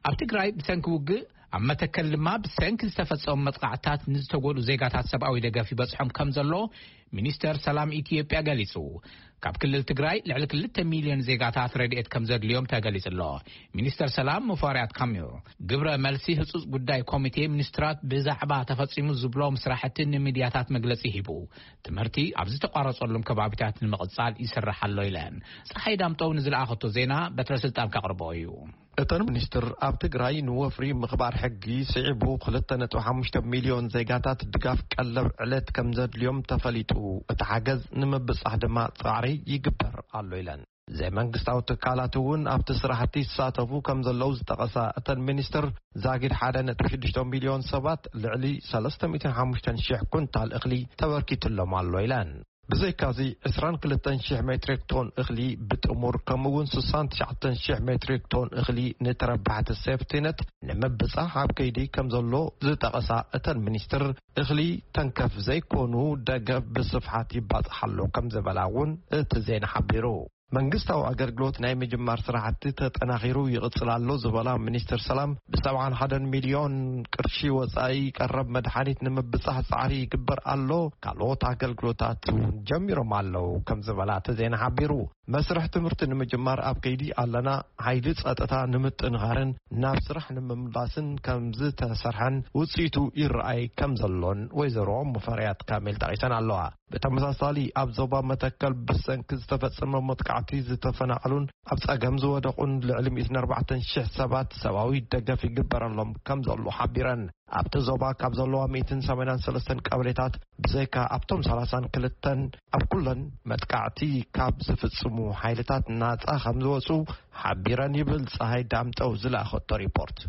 ኣብ ትግራይ ብሰንኪ ውግእ፣ ኣብ መተከል ድማ ብሰንኪ ዝተፈጸሙ መጥቃዕታት ንዝተጎድኡ ዜጋታት ሰብኣዊ ደገፍ ይበጽሖም ከም ዘሎ ሚኒስተር ሰላም ኢትዮጵያ ገሊጹ። ካብ ክልል ትግራይ ልዕሊ ክልተ ሚልዮን ዜጋታት ረድኤት ከም ዘድልዮም ተገሊጹ ኣሎ። ሚኒስተር ሰላም ሙፈሪያት ካሚል ግብረ መልሲ ህጹጽ ጉዳይ ኮሚቴ ሚኒስትራት ብዛዕባ ተፈጺሙ ዝብሎም ስራሕቲ ንሚድያታት መግለጺ ሂቡ። ትምህርቲ ኣብ ዝተቋረጸሎም ከባቢታት ንምቕጻል ይስራሕ ኣሎ ኢለን። ፀሓይ ዳምጠው ንዝለኣኸቶ ዜና በትረ ስልጣን ከቕርቦ እዩ። እተን ሚኒስትር ኣብ ትግራይ ንወፍሪ ምኽባር ሕጊ ስዒቡ ክልተ ነጥቢ ሓሙሽተ ሚልዮን ዜጋታት ድጋፍ ቀለብ ዕለት ከም ዘድልዮም ተፈሊጡ። እቲ ሓገዝ ንምብጻሕ ድማ ጻዕሪ ይግበር ኣሎ ኢለን። ዘይመንግስታዊ ትካላት እውን ኣብቲ ስራሕቲ ይሳተፉ ከም ዘለዉ ዝጠቐሳ እተን ሚኒስትር፣ ዛጊድ ሓደ ነጥቢ ሽዱሽተ ሚልዮን ሰባት ልዕሊ ሰለስተ ሚእትን ሓሙሽተን ሽሕ ኩንታል እኽሊ ተበርኪትሎም ኣሎ ኢለን። ብዘይካዚ ዕስራን ክልተን ሽሕ ሜትሪክ ቶን እኽሊ ብጥሙር፣ ከምኡ እውን ስሳን ትሽዓተን ሽሕ ሜትሪክ ቶን እኽሊ ንተረባሕቲ ሴፍቲነት ንምብጻሕ ኣብ ከይዲ ከም ዘሎ ዝጠቐሳ እተን ሚኒስትር፣ እኽሊ ተንከፍ ዘይኮኑ ደገፍ ብስፍሓት ይባጻሕ ኣሎ ከም ዝበላ እውን እቲ ዜና ሓቢሩ። መንግስታዊ ኣገልግሎት ናይ ምጅማር ስራሕቲ ተጠናኺሩ ይቕጽል ኣሎ ዝበላ ሚኒስትር ሰላም፣ ብ ሰብዓን ሓደን ሚልዮን ቅርሺ ወጻኢ ቀረብ መድሓኒት ንምብጻሕ ጻዕሪ ይግበር ኣሎ፣ ካልኦት ኣገልግሎታት እውን ጀሚሮም ኣለዉ ከም ዝበላ እቲ ዜና ሓቢሩ። መስርሕ ትምህርቲ ንምጅማር ኣብ ከይዲ ኣለና፣ ሓይሊ ጸጥታ ንምጥንኻርን ናብ ስራሕ ንምምላስን ከም ዝተሰርሐን ውጽኢቱ ይረኣይ ከም ዘሎን ወይዘሮ ሙፈሪያት ካሚል ጠቒሰን ኣለዋ። ብተመሳሳሊ ኣብ ዞባ መተከል ብሰንኪ ዝተፈጸመ መጥቃዕቲ ዝተፈናቐሉን ኣብ ጸገም ዝወደቑን ልዕሊ ሚእትን ኣርባዕተን ሽሕ ሰባት ሰብኣዊ ደገፍ ይግበረሎም ከም ዘሎ ሓቢረን። ኣብቲ ዞባ ካብ ዘለዋ ሚእትን ሰማንያን ሰለስተን ቀበሌታት ብዘይካ ኣብቶም ሰላሳን ክልተን ኣብ ኩለን መጥቃዕቲ ካብ ዝፍጽሙ ሓይልታት ናጻ ከም ዝወጹ ሓቢረን ይብል ጸሃይ ዳምጠው ዝለኣኸቶ ሪፖርት።